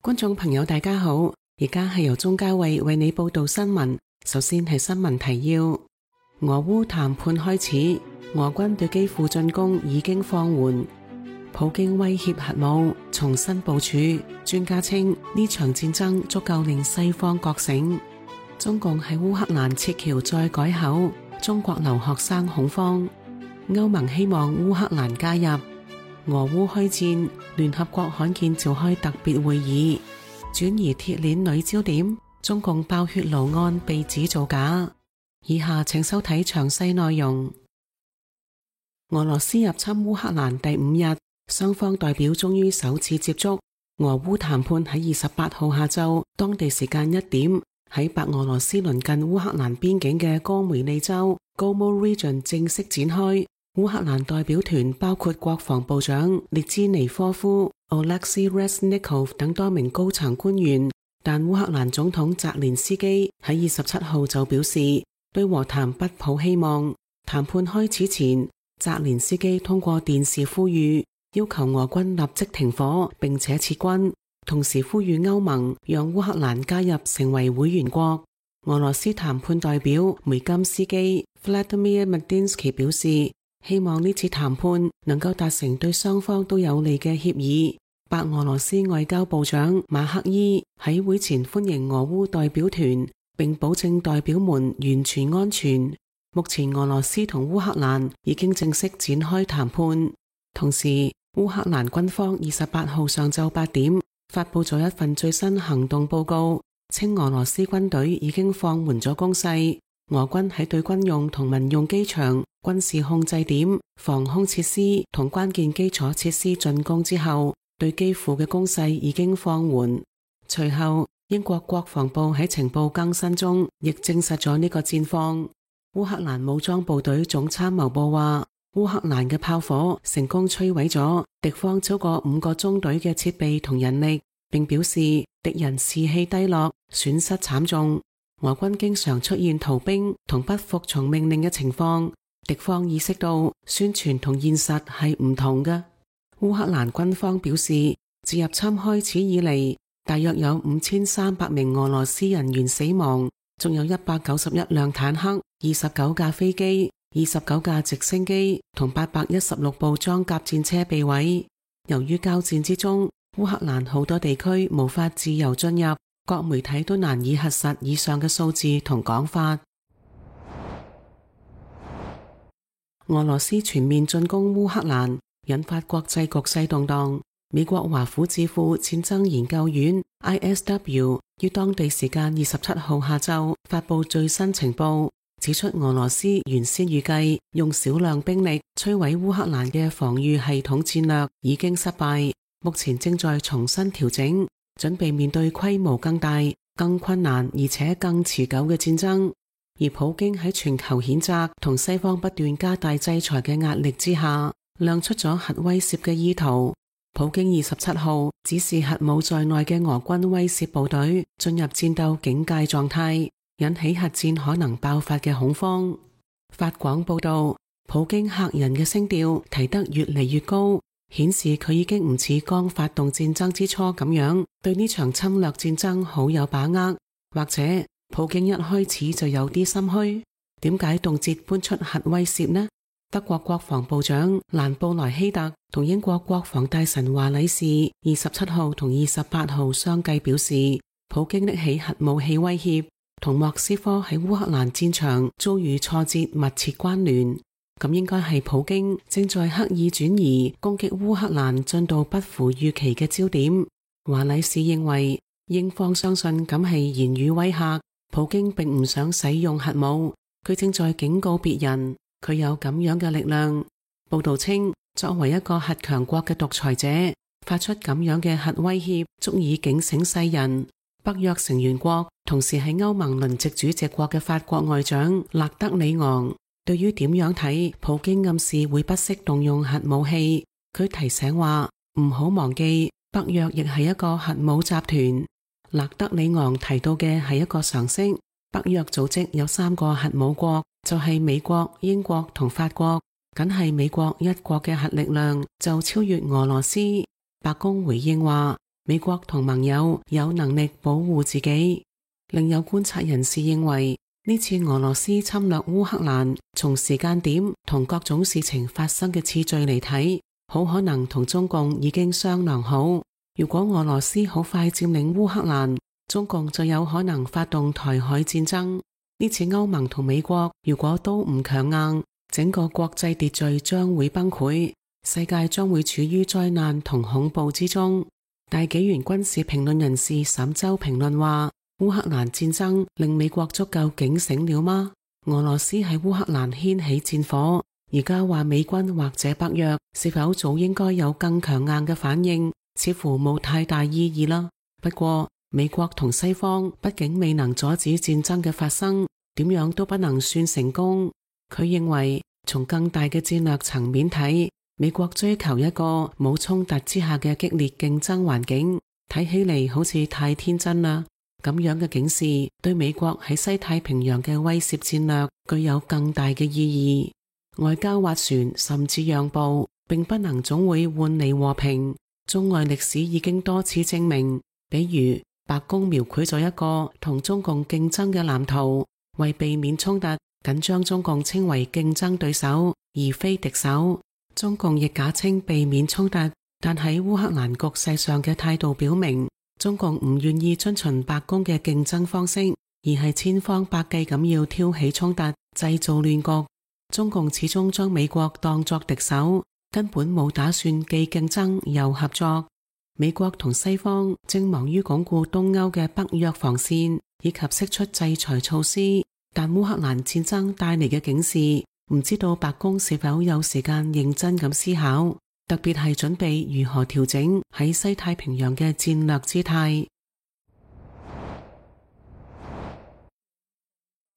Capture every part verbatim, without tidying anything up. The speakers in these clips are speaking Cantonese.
觀眾朋友大家好，而家係由鍾嘉慧為你報道新聞。首先係新聞提要：俄烏談判開始，俄軍對基輔進攻已經放緩，普京威脅核武重新部署。專家稱呢場戰爭足夠令西方覺醒。中共喺烏克蘭撤僑再改口，中國留學生恐慌。歐盟希望烏克蘭加入。俄烏開戰，聯合國罕見召開特別會議，轉移鐵鏈女焦點，中共爆血爐案被指造假。以下請收睇詳細內容。俄羅斯入侵烏克蘭第五日，雙方代表終於首次接觸。俄烏談判喺二十八號下晝當地時間一點，喺白俄羅斯鄰近烏克蘭邊境嘅哥梅利州 Gomo Region 正式展開。烏克蘭代表團包括國防部長列茲尼科夫、Oleksiy Reznikov 等多名高層官員，但烏克蘭總統澤連斯基喺二十七號就表示對和談不抱希望。談判開始前，澤連斯基通過電視呼籲，要求俄軍立即停火並且撤軍，同時呼籲歐盟讓烏克蘭加入成為會員國。俄羅斯談判代表梅金斯基 Vladimir Medinsky 表示，希望呢次談判能夠達成對雙方都有利嘅協議。白俄羅斯外交部長馬克伊喺會前歡迎俄烏代表團，並保證代表們完全安全。目前俄羅斯同烏克蘭已經正式展開談判。同時，烏克蘭軍方二十八號上晝八點發佈咗一份最新行動報告，稱俄羅斯軍隊已經放緩咗攻勢。俄軍喺對軍用同民用機場、軍事控制點、防空設施同關鍵基礎設施進攻之後，對基輔嘅攻勢已經放緩。隨後，英國國防部喺情報更新中亦證實咗呢個戰況。烏克蘭武裝部隊總參謀部話，烏克蘭嘅炮火成功摧毀咗敵方超過五個中隊嘅設備同人力，並表示敵人士氣低落，損失慘重。俄軍經常出現逃兵同不服從命令嘅情況，敵方意識到宣傳同現實係唔同嘅。烏克蘭軍方表示，自入侵開始以嚟，大約有五千三百名俄羅斯人員死亡，仲有一百九十一輛坦克、二十九架飛機、二十九架直升機同八百一十六部裝甲戰車被毀。由於交戰之中，烏克蘭好多地區無法自由進入，各媒體都難以核實以上嘅數字同講法。俄羅斯全面進攻烏克蘭，引發國際局勢動盪。美國華府智庫戰爭研究院 I S W 於當地時間二十七號下晝發佈最新情報，指出俄羅斯原先預計用少量兵力摧毀烏克蘭嘅防禦系統戰略已經失敗，目前正在重新調整，準備面對規模更大、更困難而且更持久嘅戰爭。而普京喺全球譴責同西方不斷加大制裁嘅壓力之下，亮出咗核威懾嘅意圖。普京二十七號指示核武在內嘅俄軍威懾部隊進入戰鬥警戒狀態，引起核戰可能爆發嘅恐慌。法廣報道，普京嚇人嘅聲調提得越嚟越高，顯示佢已經唔似剛發動戰爭之初咁樣對呢場侵略戰爭好有把握，或者普京一開始就有啲心虛。點解動輒搬出核威懾呢？德國國防部長蘭布萊希特同英國國防大臣華禮士二十七號同二十八號相繼表示，普京拎起核武器威脅同莫斯科喺烏克蘭戰場遭遇挫折密切關聯。咁應該係普京正在刻意轉移攻擊烏克蘭進度不符預期嘅焦點。華禮士認為，英方相信咁係言語威嚇，普京並唔想使用核武，佢正在警告別人，佢有咁樣嘅力量。報道稱，作為一個核強國嘅獨裁者，發出咁樣嘅核威脅，足以警醒世人。北約成員國同時係歐盟輪值主席國嘅法國外長勒德里昂，對於點樣睇普京暗示會不惜動用核武器，佢提醒話唔好忘記北約亦係一個核武集團。勒德里昂提到嘅係一個常識，北約組織有三個核武國，就係美國、英國同法國，僅係美國一國嘅核力量就超越俄羅斯。白宮回應話，美國同盟友有能力保護自己。另有觀察人士認為，呢次俄羅斯侵略烏克蘭，從時間點同各種事情發生嘅次序嚟睇，好可能同中共已經商量好。如果俄羅斯好快佔領烏克蘭，中共就有可能發動台海戰爭。呢次歐盟同美國如果都唔強硬，整個國際秩序將會崩潰，世界將會處於災難同恐怖之中。大紀元軍事評論人士沈周評論話，烏克蘭戰爭令美國足夠警醒了嗎？俄羅斯喺烏克蘭掀起戰火，而家話美軍或者北約是否早應該有更強硬嘅反應，似乎冇太大意義啦。不過美國同西方畢竟未能阻止戰爭嘅發生，點樣都不能算成功。佢認為從更大嘅戰略層面睇，美國追求一個冇衝突之下嘅激烈競爭環境，睇起嚟好似太天真啦。咁樣嘅警示對美國喺西太平洋嘅威懾戰略具有更大嘅意義。外交斡旋甚至讓步，並不能總會換嚟和平。中外歷史已經多次證明，比如白宮描繪咗一個同中共競爭嘅藍圖，為避免衝突，僅將中共稱為競爭對手而非敵手。中共亦假稱避免衝突，但喺烏克蘭局勢上嘅態度表明，中共唔願意遵循白宮嘅競爭方式，而係千方百計咁要挑起衝突，製造亂局。中共始終將美國當作敵手，根本冇打算既競爭又合作。美國同西方正忙於鞏固東歐嘅北約防線，以及釋出制裁措施，但烏克蘭戰爭帶嚟嘅警示，唔知道白宮是否有時間認真咁思考，特別係準備如何調整喺西太平洋嘅戰略姿態。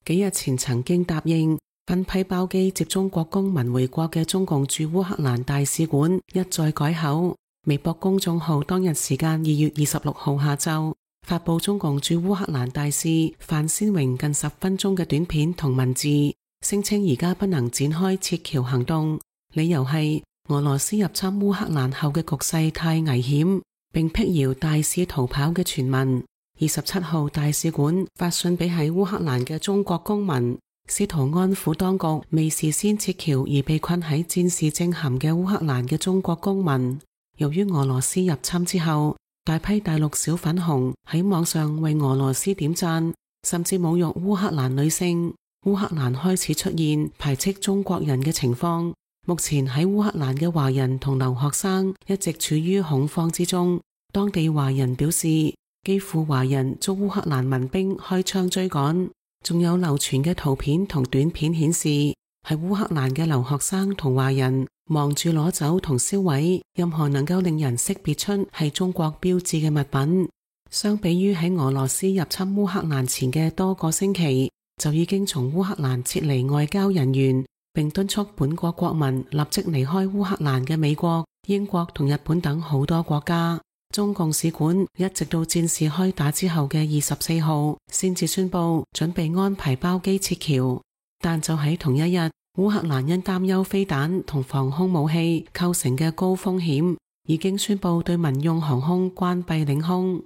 幾日前曾經答應分批包機接中國公民回國嘅中共駐烏克蘭大使館一再改口。微博公眾號當日時間二月二十六號下晝發佈中共駐烏克蘭大使范先榮近十分鐘嘅短片同文字，聲稱而家不能展開撤僑行動，理由係俄羅斯入侵烏克蘭後嘅局勢太危險，並闢謠大使逃跑嘅傳聞。二十七號大使館發信俾喺烏克蘭嘅中國公民，試圖安撫當局未事先撤僑而被困喺戰事正酣嘅烏克蘭嘅中國公民。由於俄羅斯入侵之後，大批大陸小粉紅喺網上為俄羅斯點讚，甚至侮辱烏克蘭女性。烏克蘭開始出現排斥中國人嘅情況。目前喺烏克蘭嘅華人同留學生一直處於恐慌之中。當地華人表示，基輔華人遭烏克蘭民兵開槍追趕。仲有流傳嘅圖片同短片顯示，係烏克蘭嘅留學生同華人忙住攞走同銷毀任何能夠令人識別出係中國標誌嘅物品。相比於喺俄羅斯入侵烏克蘭前嘅多個星期，就已經從烏克蘭撤離外交人員，並敦促本國國民立即離開烏克蘭嘅美國、英國同日本等好多國家。中共使館一直到戰事開打之後嘅二十四號先至宣布準備安排包機撤僑，但就喺同一日，烏克蘭因擔憂飛彈同防空武器構成嘅高風險，已經宣布對民用航空關閉領空。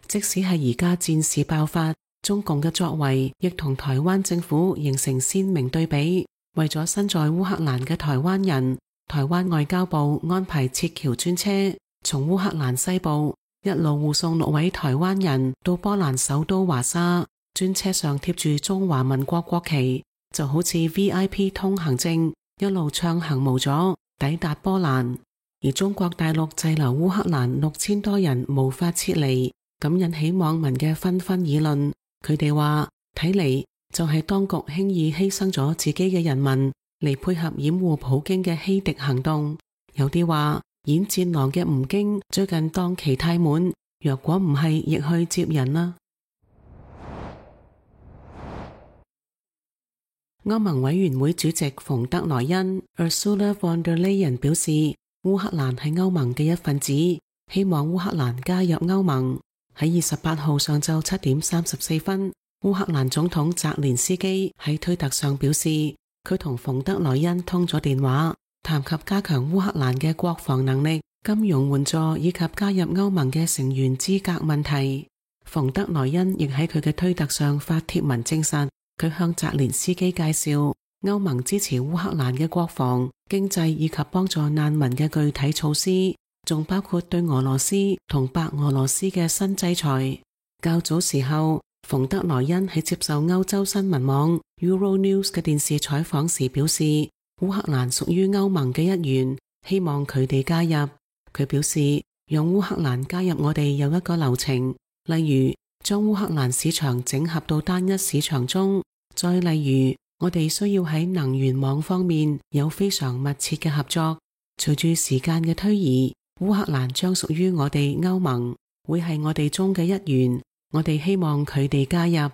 即使係而家戰事爆發，中共嘅作為亦同台灣政府形成鮮明對比。為咗身在烏克蘭嘅台灣人，台灣外交部安排撤僑專車從烏克蘭西部一路護送六位台灣人到波蘭首都華沙，專車上貼住中華民國國旗，就好似 V I P 通行證，一路暢行無阻抵達波蘭。而中國大陸滯留烏克蘭六千多人無法撤離，咁引起網民嘅紛紛議論。佢哋話睇嚟就係當局輕易犧牲咗自己嘅人民嚟配合掩護普京嘅欺敵行動。有啲話演戰狼嘅吳京最近檔期太滿，若果唔係亦去接人啦。歐盟委員會主席馮德萊恩 Ursula von der Leyen 表示，烏克蘭係歐盟嘅一份子，希望烏克蘭加入歐盟。喺二十八號上晝七點三十四分，烏克蘭總統澤連斯基喺推特上表示，佢同馮德萊恩通咗電話，談及加強烏克蘭嘅國防能力，金融援助以及加入歐盟嘅成員資格問題。馮德萊恩亦喺佢嘅推特上發帖文證實，佢向澤連斯基介紹歐盟支持烏克蘭嘅國防、經濟以及幫助難民嘅具體措施，仲包括對俄羅斯同白俄羅斯嘅新制裁。較早時候，馮德萊恩喺接受歐洲新聞網 Euronews 嘅電視採訪時表示，烏克蘭屬於歐盟嘅一員，希望佢哋加入。佢表示，讓烏克蘭加入我哋有一個流程，例如將烏克蘭市場整合到單一市場中，再例如我哋需要喺能源網方面有非常密切嘅合作。隨住時間嘅推移，烏克蘭將屬於我哋歐盟，會係我哋中嘅一員，我哋希望佢哋加入。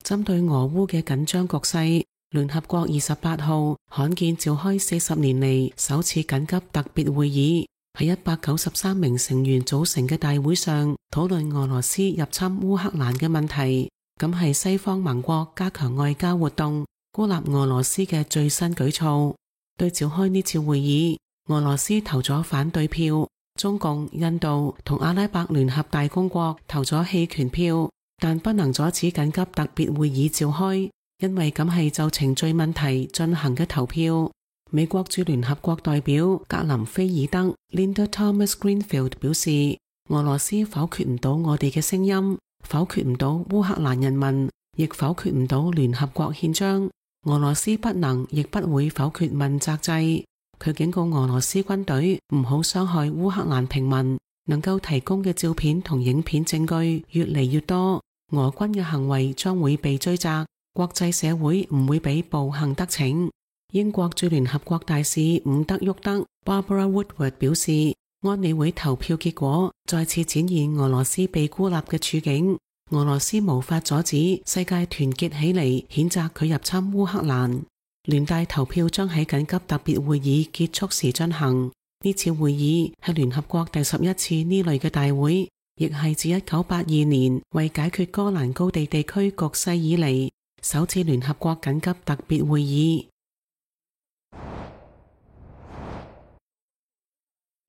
針對俄烏嘅緊張局勢，聯合國二十八號罕見召開四十年嚟首次緊急特別會議，喺一百九十三名成員組成嘅大會上討論俄羅斯入侵烏克蘭嘅問題。咁係西方盟國加強外交活動，孤立俄羅斯嘅最新舉措。對召開呢次會議，俄羅斯投咗反對票，中共、印度同阿拉伯聯合大公國投咗棄權票，但不能阻止緊急特別會議召開，因為咁係就程序問題進行嘅投票。美國駐聯合國代表格林菲爾德 Linda Thomas Greenfield 表示，俄羅斯否決唔到我哋嘅聲音，否決唔到烏克蘭人民，亦否決唔到聯合國憲章。俄羅斯不能亦不會否決問責制。佢警告俄羅斯軍隊唔好傷害烏克蘭平民，能夠提供嘅照片同影片證據越嚟越多，俄軍嘅行為將會被追責，國際社會唔會俾暴行得逞。英國駐聯合國大使伍德沃德 Barbara Woodward 表示，安理會投票結果再次展現俄羅斯被孤立嘅處境，俄羅斯無法阻止世界團結起嚟譴責佢入侵烏克蘭。聯大投票將喺緊急特別會議結束時進行。呢次會議係聯合國第十一次呢類嘅大會，亦係自一九八二年為解決戈蘭高地地區局勢以嚟首次聯合國緊急特別會議。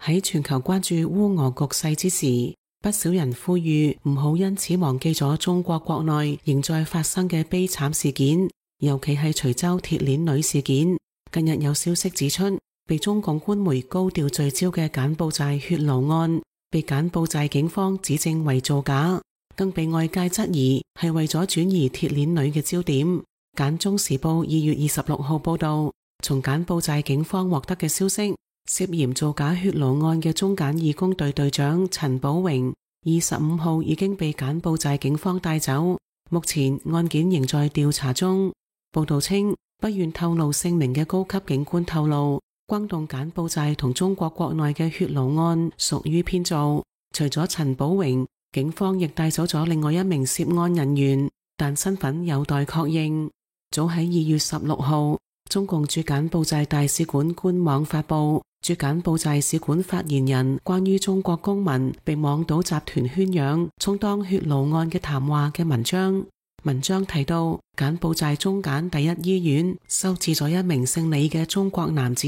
喺全球關注烏俄局勢之時，不少人呼籲唔好因此忘記咗中國國內仍在發生嘅悲慘事件，尤其係徐州鐵鏈女事件。近日有消息指出，被中共官媒高調聚焦嘅柬埔寨血奴案，被柬埔寨警方指證為造假，更被外界質疑係為咗轉移鐵鏈女嘅焦點。柬中時報二月二十六號報道，從柬埔寨警方獲得嘅消息，涉嫌造假血奴案嘅中柬義工隊隊長陳寶榮二十五號已經被柬埔寨警方帶走，目前案件仍在調查中。報道稱，不願透露姓名嘅高級警官透露，轟動柬埔寨同中國國內嘅血奴案屬於編造。除咗陳寶榮，警方亦帶走咗另外一名涉案人員，但身份有待確認。早喺二月十六號，中共駐柬埔寨大使館官網發布駐柬埔寨使館發言人關於中國公民被網賭集團圈養充當血奴案嘅談話嘅文章。文章提到，柬埔寨中柬第一醫院收治咗一名姓李嘅中國男子，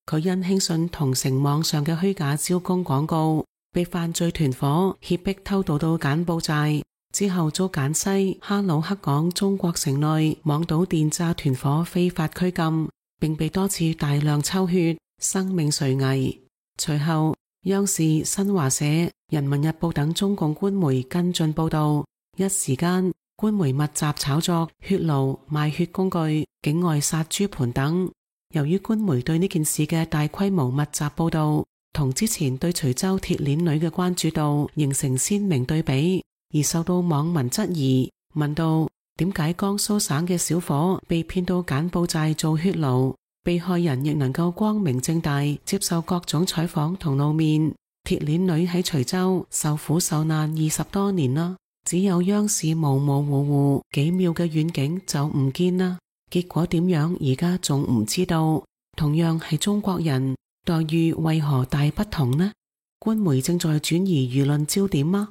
佢因輕信同城網上嘅虛假招工廣告，被犯罪團伙脅迫偷渡到柬埔寨，之後遭柬西哈魯克港中國城內網賭電詐團伙非法拘禁，並被多次大量抽血，生命垂危。隨後，央視、新華社、人民日報等中共官媒跟進報道，一時間官媒密集炒作血奴、賣血工具、境外殺豬盤等。由於官媒對呢件事嘅大規模密集報道，同之前對徐州鐵鏈女嘅關注度形成鮮明對比，而受到網民質疑，問到點解江蘇省嘅小伙被騙到柬埔寨做血奴，被害人亦能夠光明正大接受各種採訪同露面，鐵鏈女喺徐州受苦受難二十多年啦，只有央視模模糊糊幾秒嘅遠景就唔見啦，結果點樣而家仲唔知道？同樣係中國人，待遇為何大不同呢？官媒正在轉移輿論焦點嗎？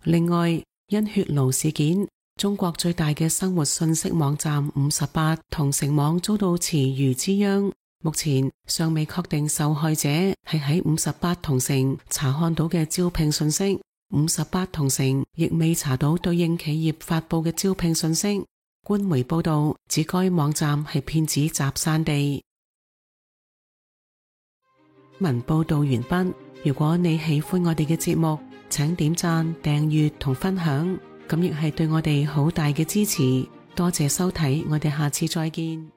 另外，因血奴事件，中國最大嘅生活信息網站五十八同城網遭到池魚之殃，目前尚未確定受害者係喺五十八同城查看到嘅招聘信息，五十八同城亦未查到對應企業發佈嘅招聘信息。官媒報道指該網站係騙子集散地。文報道完畢。如果你喜歡我哋嘅節目，請點讚、訂閱同分享，咁亦係對我哋好大嘅支持。多謝收睇，我哋下次再見。